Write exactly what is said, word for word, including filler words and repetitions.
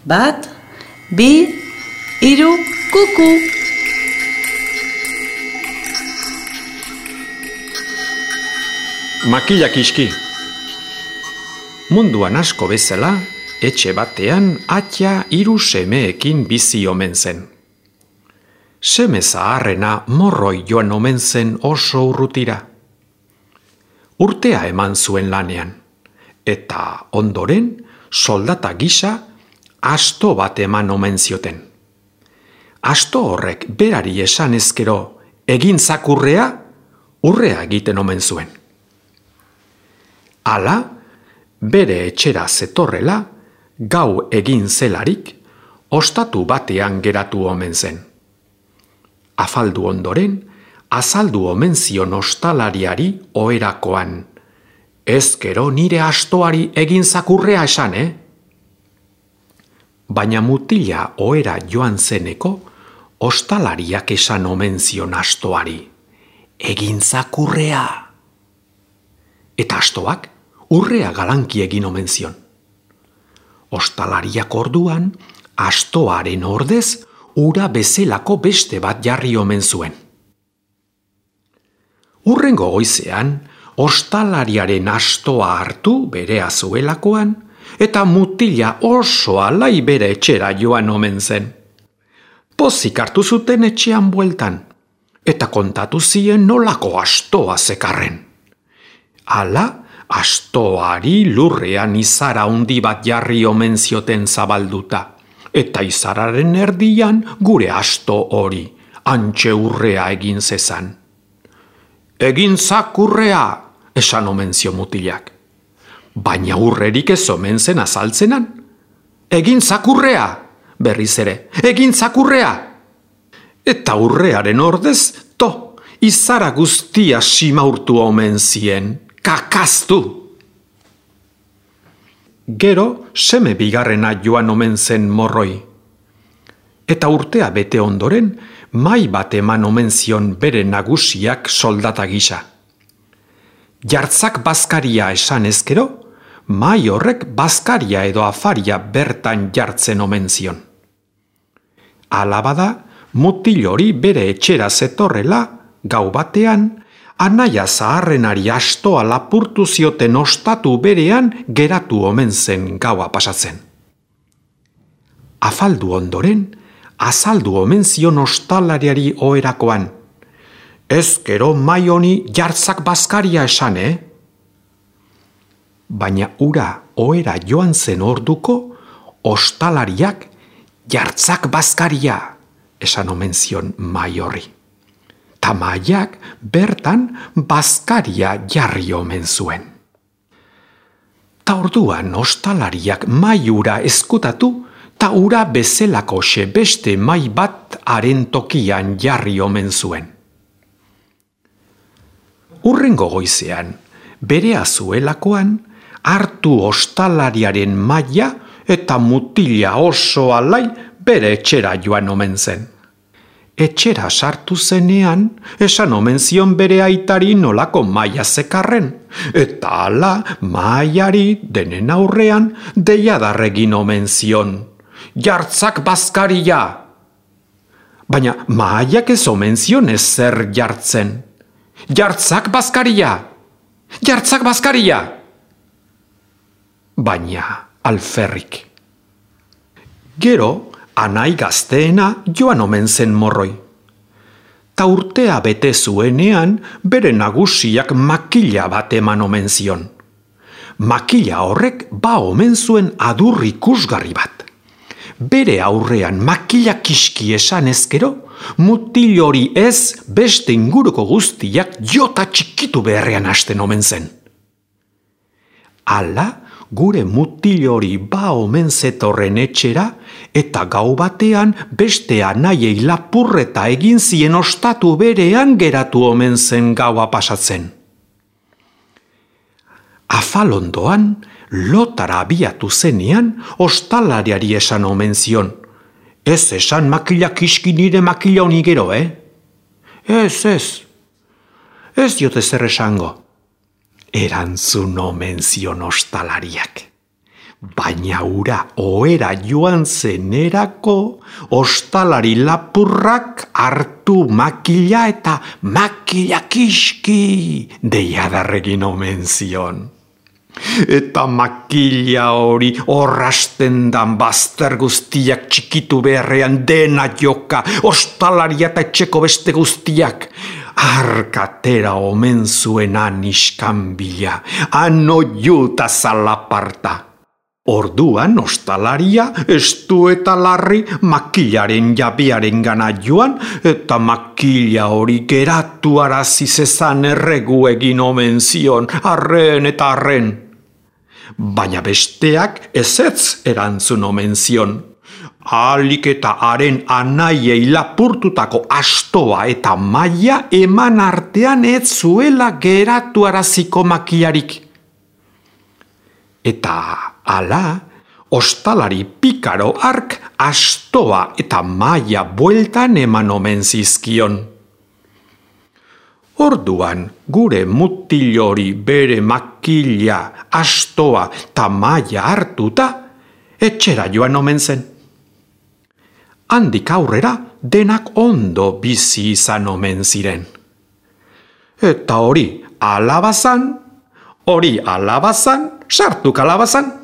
Bat, bi, hiru, kuku. Makilak iski. Munduan asko bezala, etxe batean atia hiru semeekin bizi omen zen. Seme zaharrena morroi joan omen zen oso urrutira. Urtea eman zuen lanean, eta ondoren soldata gisa asto bat eman omen zioten. Asto horrek berari esan ezkero egin zakurrea, urrea egiten omen zuen. Hala, bere etxera zetorrela, gau egin zelarik, ostatu batean geratu omen zen. Afaldu ondoren, azaldu omen zion ostalariari oherakoan. Ezkero nire astoari egin zakurrea esan, eh? Baina mutila ohera joan zeneko, ostalariak esan omen zion astoari. Egin zakurrea! Eta astoak urrea galanki egin omen zion. Ostalariak orduan, astoaren ordez, ura bezelako beste bat jarri omen zuen. Hurrengo goizean, ostalariaren astoa hartu berea zuelakoan, eta mutila oso alai bere etxera joan omen zen. Pozik hartu zuten etxean bueltan, eta kontatu zien nolako astoa zekarren. Hala, astoari lurrean izara handi bat jarri omen zioten zabalduta, eta izararen erdian gure asto hori, hantxe urrea egin zezan. Egin zakurrea, esan omen zio mutilak. Baina urrerik ez omen zen azaltzenan. Egin zakurrea, berriz ere, egin zakurrea. Eta urrearen ordez, to, izara guztia simaurtu omen zien. Kakaztu! Gero, seme bigarrena joan omen zen morroi. Eta urtea bete ondoren, mai bat eman omen zion bere nagusiak soldata gisa. Jartzak bazkaria esan ezkero, mai horrek bazkaria edo afaria bertan jartzen omen zion. Hala bada, mutil hori bere etxera zetorrela, gau batean, anaia zaharrenari astoa lapurtu zioten ostatu berean geratu omen zen gaua pasatzen. Afaldu ondoren, azaldu omen zion ostalariari oherakoan. Ezkero mai honi jartzak bazkaria esan, eh? Baina ura ohera joan zen orduko, ostalariak jartzak bazkaria esan omen zion mai horri. Ta maiak bertan bazkaria jarri omen zuen. Ta orduan ostalariak mai ura eskutatu, ta ura bezelako beste mai bat haren tokian jarri omen zuen. Hurrengo goizean, berea zuelakoan, hartu ostalariaren maila eta mutila oso alai bere etxera joan omen zen. Etxera sartu zenean, esan omen zion bere aitari nolako maila zekarren, eta hala mailari denen aurrean deiadarregin omen zion. Jartzak bazkaria! Baina mailak ez omen zion ezer jartzen. Jartzak bazkaria! Jartzak bazkaria! Baina alferrik. Gero, anai gazteena joan omen zen morroi. Ta urtea bete zuenean, bere nagusiak makila bat eman omen zion. Makila horrek ba omen zuen adur ikusgarri bat. Bere aurrean makila kiski esan ezkero, mutil hori ez beste inguruko guztiak jota txikitu beharrean hasten omen zen. Hala, gure mutil hori ba omen zetorren etxera, eta gau batean beste anaiei lapurreta egin zien ostatu berean geratu omen zen gaua pasatzen. Afalondoan, lotara abiatu zenean, ostalariari esan omen zion. Ez esan makila kiski nire makila honi gero, eh? Ez, ez. Ez diote zer esango. Erantzun omen zion ostalariak. Baina ura ohera joan zenerako, ostalari lapurrak hartu makila eta makila kiski deiadarregin omen zion. Eta makila hori orrasten dan bazter guztiak txikitu beharrean dena joka, ostalaria eta etxeko beste guztiak. Arkatera omen zuen aniskan bila, ano juta zalaparta. Orduan ostalaria estu eta larri makilaren jabearen gana joan, eta makila hori geratu arazi zezan erregu egin omen zion, arren eta arren. Baina besteak ezetz erantzun omen zion. Alik eta haren anaiei lapurtutako astoa eta maia eman artean ez zuela geratu araziko makilarik. Eta hala, ostalari pikaro hark astoa eta maia bueltan eman omen zizkion. Orduan, gure mutil hori bere makila, astoa eta maia hartuta, etxera joan omen zen. Handik aurrera denak ondo bizi izan omen ziren. Eta hori alabazan, hori alabazan, sartu kalabazan.